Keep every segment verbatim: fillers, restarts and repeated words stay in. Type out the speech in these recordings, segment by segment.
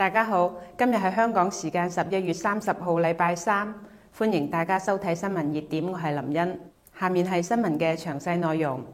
大家好，今日係香港時間十一月三十號，禮拜三，歡迎大家收睇新聞熱點，我係林茵。下面係新聞嘅詳細內容。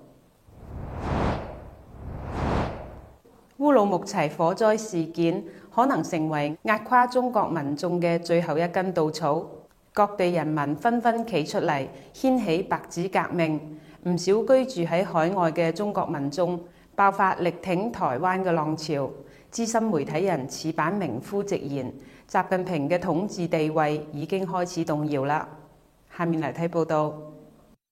烏魯木齊火災事件可能成為壓垮中國民眾嘅最後一根稻草，各地人民紛紛企出嚟掀起白紙革命，唔少居住喺海外嘅中國民眾爆發力挺台灣嘅浪潮。資深媒體人矢板明夫直言，習近平嘅統治地位已經開始動搖啦。下面嚟睇報道。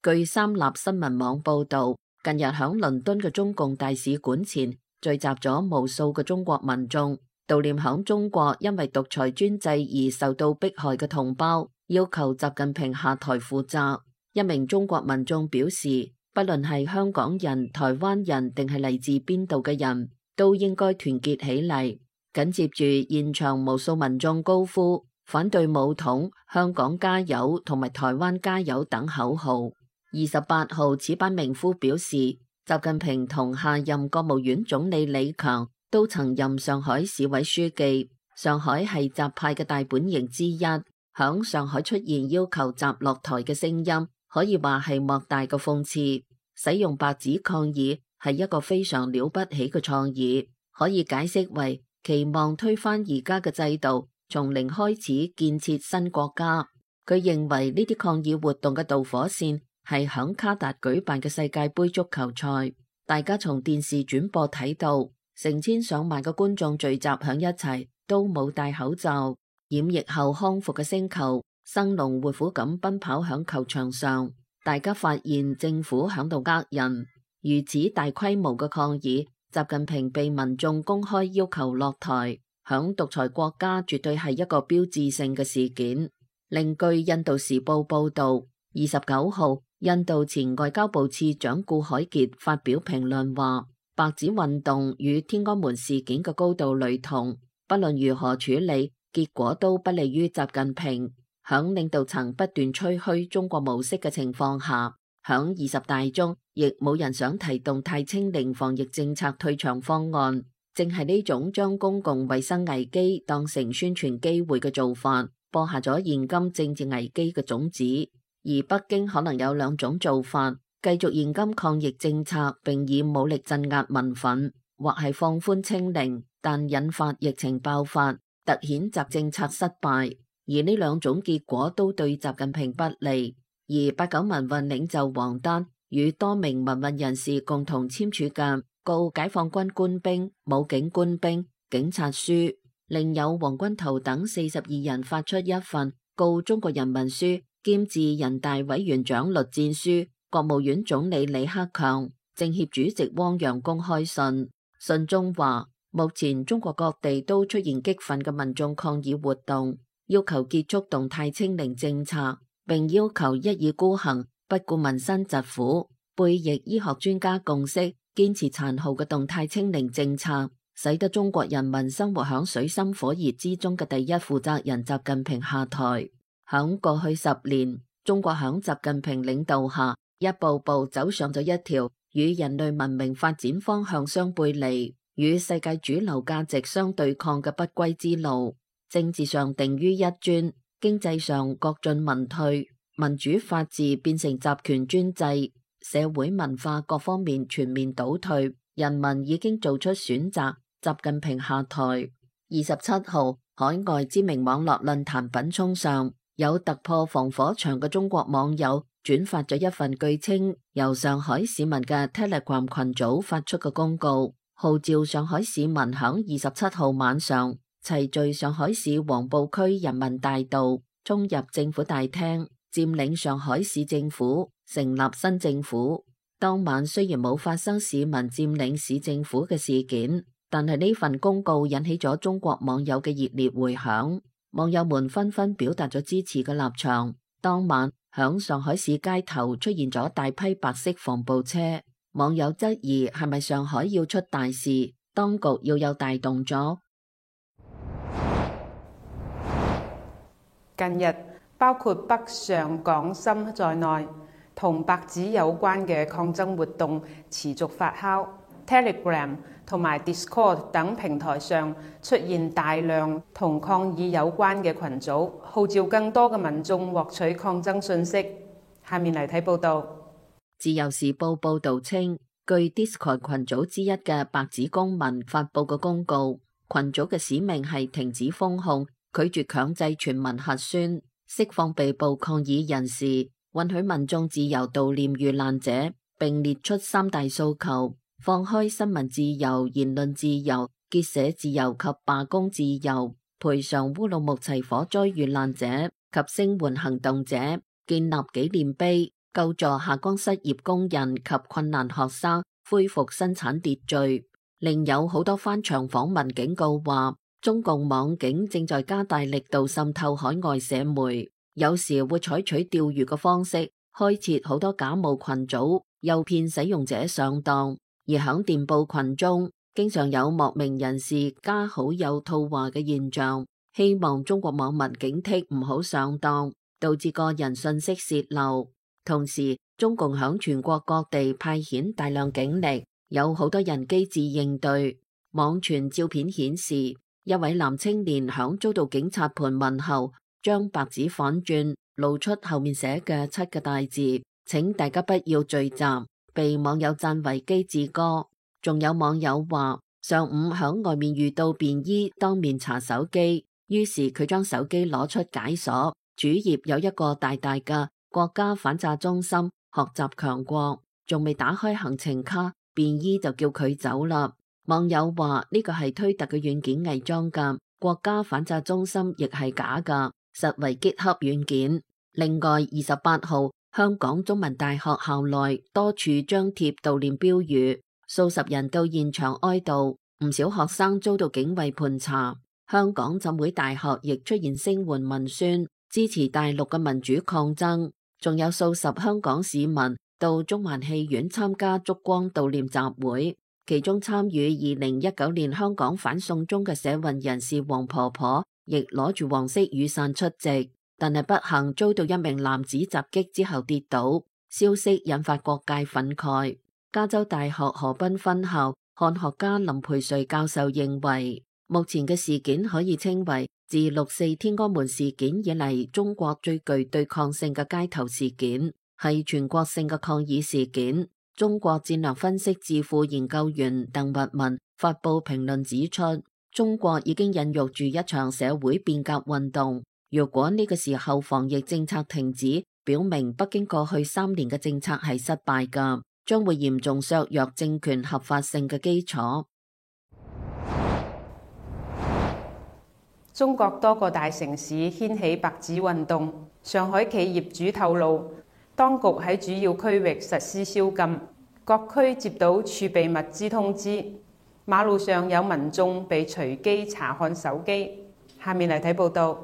據三立新聞網報導，近日響倫敦嘅中共大使館前聚集咗無數嘅中國民眾，悼念響中國因為獨裁專制而受到迫害嘅同胞，要求習近平下台負責。一名中國民眾表示，不論係香港人、台灣人定係嚟自邊度嘅人，都應該團結起嚟。緊接住，現場無數民眾高呼反對武統、香港加油同埋台灣加油等口號。二十八號，矢板明夫表示，習近平同下任國務院總理李強都曾任上海市委書記。上海係習派嘅大本營之一，響上海出現要求習落台嘅聲音，可以話係莫大嘅諷刺。使用白紙抗議係一個非常了不起嘅創意，可以解釋為期望推翻而家嘅制度，從零開始建設新國家。佢認為呢啲抗議活動嘅導火線係響卡達舉辦嘅世界盃足球賽，大家從電視轉播睇到成千上萬嘅觀眾聚集響一齊，都冇戴口罩，染疫後康復嘅星球生龍活虎咁奔跑響球場上，大家發現政府響度呃人。如此大規模嘅抗議，習近平被民眾公開要求落台，響獨裁國家絕對係一個標誌性嘅事件。另據印度時報報道，二十九號，印度前外交部次長顧海傑發表評論話，白紙運動與天安門事件嘅高度雷同，不論如何處理，結果都不利於習近平。響領導層不斷吹噓中國模式嘅情況下，響二十大中亦冇人想提動態清零防疫政策退場方案，正係呢種將公共衛生危機當成宣傳機會嘅做法，播下咗現今政治危機嘅種子。而北京可能有兩種做法，繼續現今抗疫政策並以武力鎮壓民憤，或係放寬清零，但引發疫情爆發，凸顯習政策失敗。而呢兩種結果都對習近平不利。而八九民運領袖王丹與多名民運人士共同簽署嘅告解放軍官兵、武警官兵、警察書，另有王軍濤等四十二人發出一份告中國人民書，兼致人大委員長栗戰書、國務院總理李克強、政協主席汪洋公開信。信中話，目前中國各地都出現激憤嘅民眾抗議活動，要求結束動態清零政策，並要求一意孤行，不顧民生疾苦，背逆醫學專家共識，堅持殘酷嘅動態清零政策，使得中國人民生活響水深火熱之中嘅第一負責人習近平下台。響過去十年，中國響習近平領導下，一步步走上咗一條與人類文明發展方向相背離、與世界主流價值相對抗嘅不歸之路。政治上定於一尊，經濟上國進民退，民主法治變成集權專制，社會文化各方面全面倒退，人民已經做出選擇，習近平下台。二十七號，海外知名網絡論壇品涌上，有突破防火牆嘅中國網友轉發咗一份據稱由上海市民嘅 Telegram 群組發出嘅公告，號召上海市民響二十七號晚上齊聚上海市黃浦區人民大道，衝入政府大廳，佔領上海市政府，成立新政府。當晚雖然冇發生市民佔領市政府嘅事件，但係呢份公告引起咗中國網友嘅熱烈回響，網友們紛紛表達咗支持嘅立場。當晚響上海市街頭出現咗大批白色防暴車，網友質疑係咪上海要出大事，當局要有大動作。近日，包括北上廣深在內，同白紙有關嘅抗爭活動持續發酵。Telegram 同埋 Discord 等平台上出現大量同抗議有關嘅群組，號召更多嘅民眾獲取抗爭信息。下面嚟睇報道。自由時報報導稱，據 Discord 群組之一嘅白紙公民發佈嘅公告，群組嘅使命係停止封控、拒絕強制全民核酸、釋放被捕抗議人士、允許民眾自由悼念遇難者，並列出三大訴求：放開新聞自由、言論自由、結社自由及罷工自由，賠償烏魯木齊火災遇難者及聲援行動者，建立紀念碑，救助下崗失業工人及困難學生恢復生產秩序。另有好多翻牆訪問警告話，中共網警正在加大力度滲透海外社媒，有時會採取釣魚嘅方式，開設好多假冒群組，誘騙使用者上當。而響電報群中，經常有莫名人士加好友套話嘅現象，希望中國網民警惕唔好上當，導致個人信息洩漏。同時，中共響全國各地派遣大量警力，有好多人機智應對。網傳照片顯示，一位男青年響遭到警察盤問後，將白紙反轉，露出後面寫嘅七個大字，請大家不要聚集，被網友讚為機智哥。仲有網友話，上午響外面遇到便衣當面查手機，於是佢將手機攞出解鎖，主頁有一個大大嘅國家反詐中心學習強國，仲未打開行程卡，便衣就叫佢走啦。網友話呢個係推特嘅軟件偽裝噶，國家反詐中心亦係假噶，實為 GitHub 軟件。另外，二十八號香港中文大學校內多處張貼悼念標語，數十人到現場哀悼，唔少學生遭到警衛盤查。香港浸會大學亦出現聲援文宣，支持大陸嘅民主抗爭。仲有數十香港市民到中環戲院參加燭光悼念集會，其中參與二零一九年香港反送中嘅社運人士黃婆婆亦攞住黃色雨傘出席，但係不幸遭到一名男子襲擊之後跌倒，消息引發各界憤慨。加州大學河濱分校漢學家林培瑞教授認為，目前嘅事件可以稱為自六四天安門事件以嚟中國最具對抗性嘅街頭事件，係全國性嘅抗議事件。中國戰略分析智庫研究員鄧拔文發布評論指出，中國已經孕育住一場社會變革運動。如果呢個時候防疫政策停止，表明北京過去三年嘅政策係失敗㗎，將會嚴重削弱政權合法性嘅基礎。中國多個大城市掀起白紙運動，上海企業主透露，當局喺主要區域實施宵禁，各區接到儲備物資通知，馬路上有民眾被隨機查看手機。下面嚟睇報道。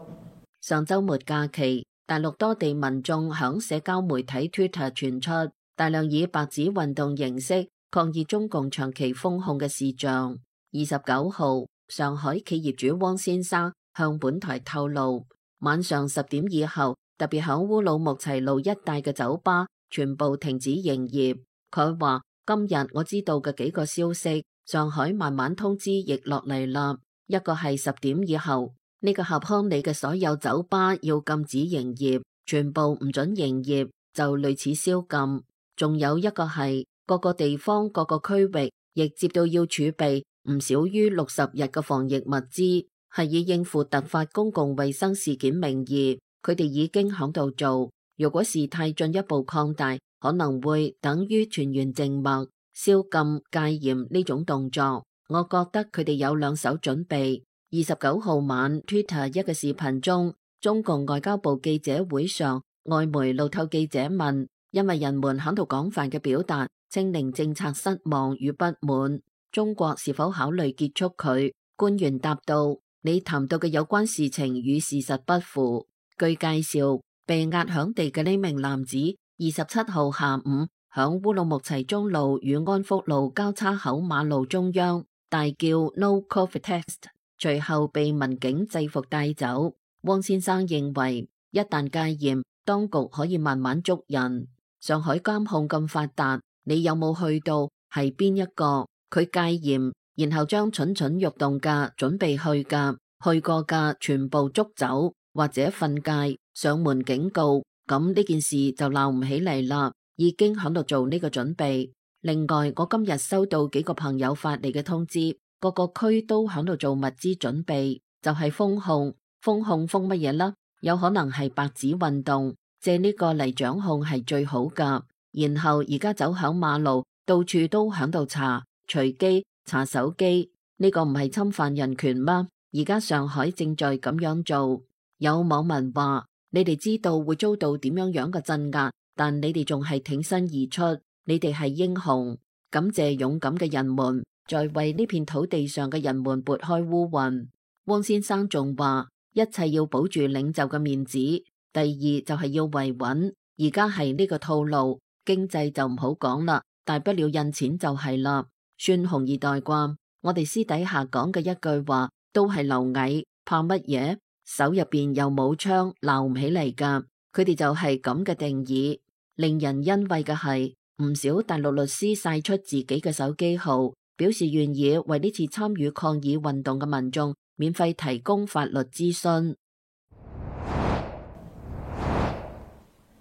上週末假期，大陸多地民眾響社交媒體 Twitter 傳出大量以白紙運動形式抗議中共長期封控嘅視像。二十九號，上海企業主汪先生向本台透露，晚上十點以後，特別響烏魯木齊路一帶嘅酒吧全部停止營業。佢話：今日我知道嘅幾個消息，上海慢慢通知亦落嚟啦。一個係十點以後，呢個合康里嘅所有酒吧要禁止營業，全部唔准營業，就類似宵禁。仲有一個係各個地方各個區域亦接到要儲備唔少於六十日嘅防疫物資，係以應付突發公共衛生事件名義，佢哋已經響度做。如果事態進一步擴大，可能會等於全員靜默、宵禁、戒嚴呢種動作。我覺得佢哋有兩手準備。二十九號晚 Twitter 一個視頻中，中共外交部記者會上，外媒路透記者問，因為人們響度廣泛嘅表達清零政策失望與不滿，中國是否考慮結束佢？官員答道：你談到嘅有關事情與事實不符。據介紹，被壓響地嘅呢名男子，二十七號下午響烏魯木齊中路與安福路交叉口馬路中央大叫 No Covid Test， 隨後被民警制服帶走。汪先生認為，一旦戒嚴，當局可以慢慢捉人。上海監控咁發達，你有冇去到？係邊一個？佢戒嚴，然後將蠢蠢欲動嘅準備去嘅去過嘅全部捉走，或者訓誡上門警告，咁呢件事就鬧唔起嚟啦，已經喺度做呢個準備。另外，我今日收到幾個朋友發嚟嘅通知，各個區都喺度做物資準備，就係封控。封控封乜嘢啦？有可能係白紙運動，借呢個嚟掌控係最好噶。然後而家走響馬路，到處都喺度查隨機查手機，呢個唔係侵犯人權嗎？而家上海正在咁樣做。有網民話：你哋知道會遭到點樣樣嘅鎮壓，但你哋仲係挺身而出，你哋係英雄。感謝勇敢嘅人們，在為呢片土地上嘅人們撥開烏雲。汪先生仲話：一切要保住領袖嘅面子，第二就係要維穩。而家係呢個套路，經濟就唔好講啦，大不了印錢就係啦。算紅二代啩？我哋私底下講嘅一句話都係螻蟻，怕乜嘢？手入邊又冇槍，鬧唔起嚟噶。佢哋就係咁嘅定義。令人欣慰嘅係，唔少大陸律師晒出自己嘅手機號，表示願意為呢次參與抗議運動嘅民眾免費提供法律諮詢。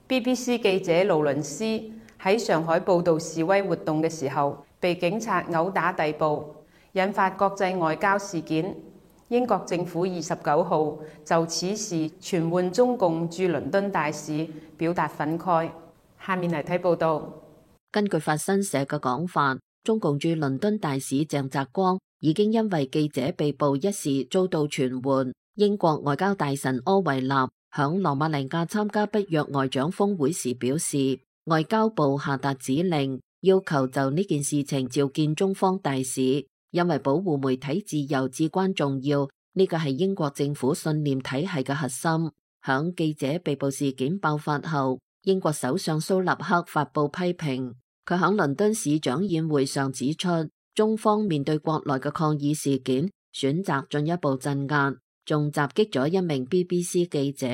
B B C 記者勞倫斯喺上海報導示威活動嘅時候，被警察毆打逮捕，引發國際外交事件。英國政府二十九號就此事傳喚中共駐倫敦大使，表達憤慨。下面嚟睇報導。根據法新社嘅講法，中共駐倫敦大使鄭澤光已經因為記者被捕一事遭到傳喚。英國外交大臣柯維納響羅馬尼亞參加北約外長峰會時表示，外交部下達指令，要求就呢件事情召見中方大使，因為保護媒體自由至關重要，呢個係英國政府信念體系嘅核心。響記者被捕事件爆發後，英國首相蘇納克發布批評，佢響倫敦市長宴會上指出，中方面對國內嘅抗議事件，選擇進一步鎮壓，仲襲擊咗一名 B B C 記者。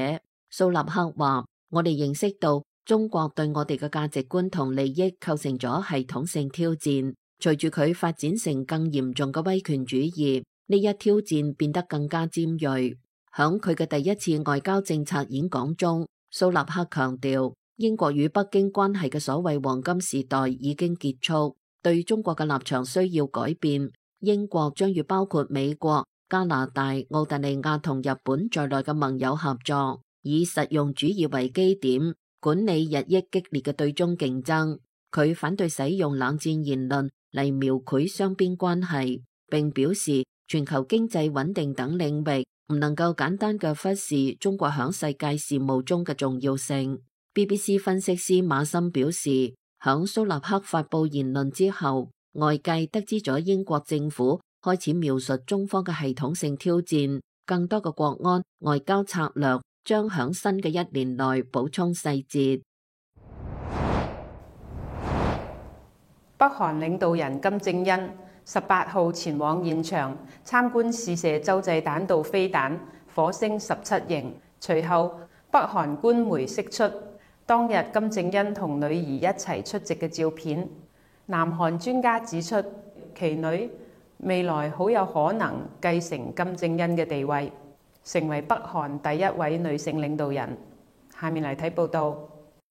蘇納克話：我哋認識到中國對我哋嘅價值觀同利益構成咗系統性挑戰，隨住佢發展成更嚴重嘅威權主義，呢一挑戰變得更加尖銳。響佢嘅第一次外交政策演講中，蘇納克強調，英國與北京關係嘅所謂黃金時代已經結束，對中國嘅立場需要改變。英國將與包括美國、加拿大、澳大利亞同日本在內嘅盟友合作，以實用主義為基點，管理日益激烈嘅對中競爭。佢反對使用冷戰言論嚟描繪雙邊關係，並表示全球經濟穩定等領域唔能夠簡單嘅忽視中國響世界事務中嘅重要性。B B C 分析師馬森表示，響蘇納克發布言論之後，外界得知咗英國政府開始描述中方嘅系統性挑戰，更多嘅國安外交策略將響新嘅一年內補充細節。北韓領導人金正恩十八號前往現場參觀試射洲際彈道飛彈火星十七型，隨後北韓官媒釋出當日金正恩同女兒一齊出席嘅照片。南韓專家指出，其女未來好有可能繼承金正恩嘅地位，成為北韓第一位女性領導人。下面嚟睇報道。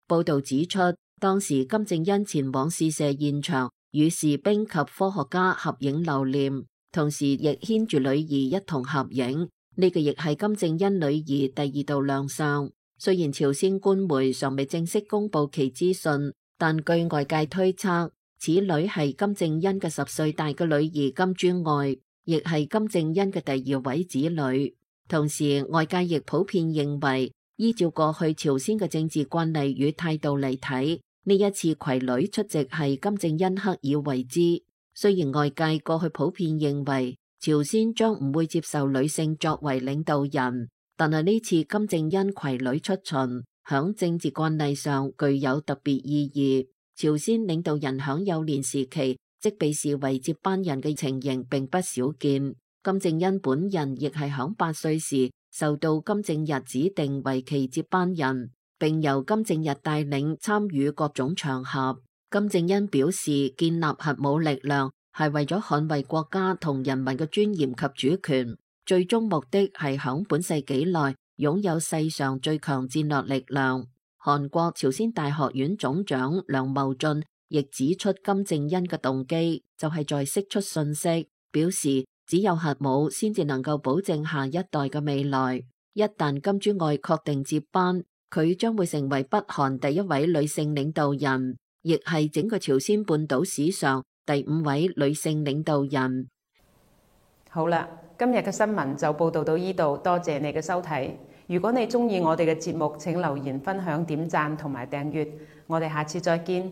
報道指出，當時金正恩前往試射現場，與士兵及科學家合影留念，同時亦牽住女兒一同合影。呢個亦係金正恩女兒第二度亮相。雖然朝鮮官媒尚未正式公布其資訊，但據外界推測，此女係金正恩嘅十歲大嘅女兒金珠愛，亦係金正恩嘅第二位子女。同時，外界亦普遍認為，依照過去朝鮮嘅政治慣例與態度嚟睇，呢一次攜女出席係金正恩刻意為之。雖然外界過去普遍認為朝鮮將唔會接受女性作為領導人，但係呢次金正恩攜女出巡，響政治慣例上具有特別意義。朝鮮領導人響幼年時期即被視為接班人嘅情形並不少見。金正恩本人亦係響八歲時受到金正日指定為其接班人，並由金正日帶領參與各種場合。金正恩表示，建立核武力量係為咗捍衛國家同人民嘅尊嚴及主權，最終目的係響本世紀內擁有世上最強戰略力量。韓國朝鮮大學院總長梁茂俊亦指出，金正恩嘅動機就係在釋出信息，表示只有核武先至能夠保證下一代嘅未來。一旦金珠愛確定接班，佢將會成為北韓第一位女性領導人，亦係整個朝鮮半島史上第五位女性領導人。好啦，今日嘅新聞就報道到呢度，多謝你嘅收睇。如果你鍾意我哋嘅節目，請留言、分享、點讚同埋訂閱。我哋下次再見。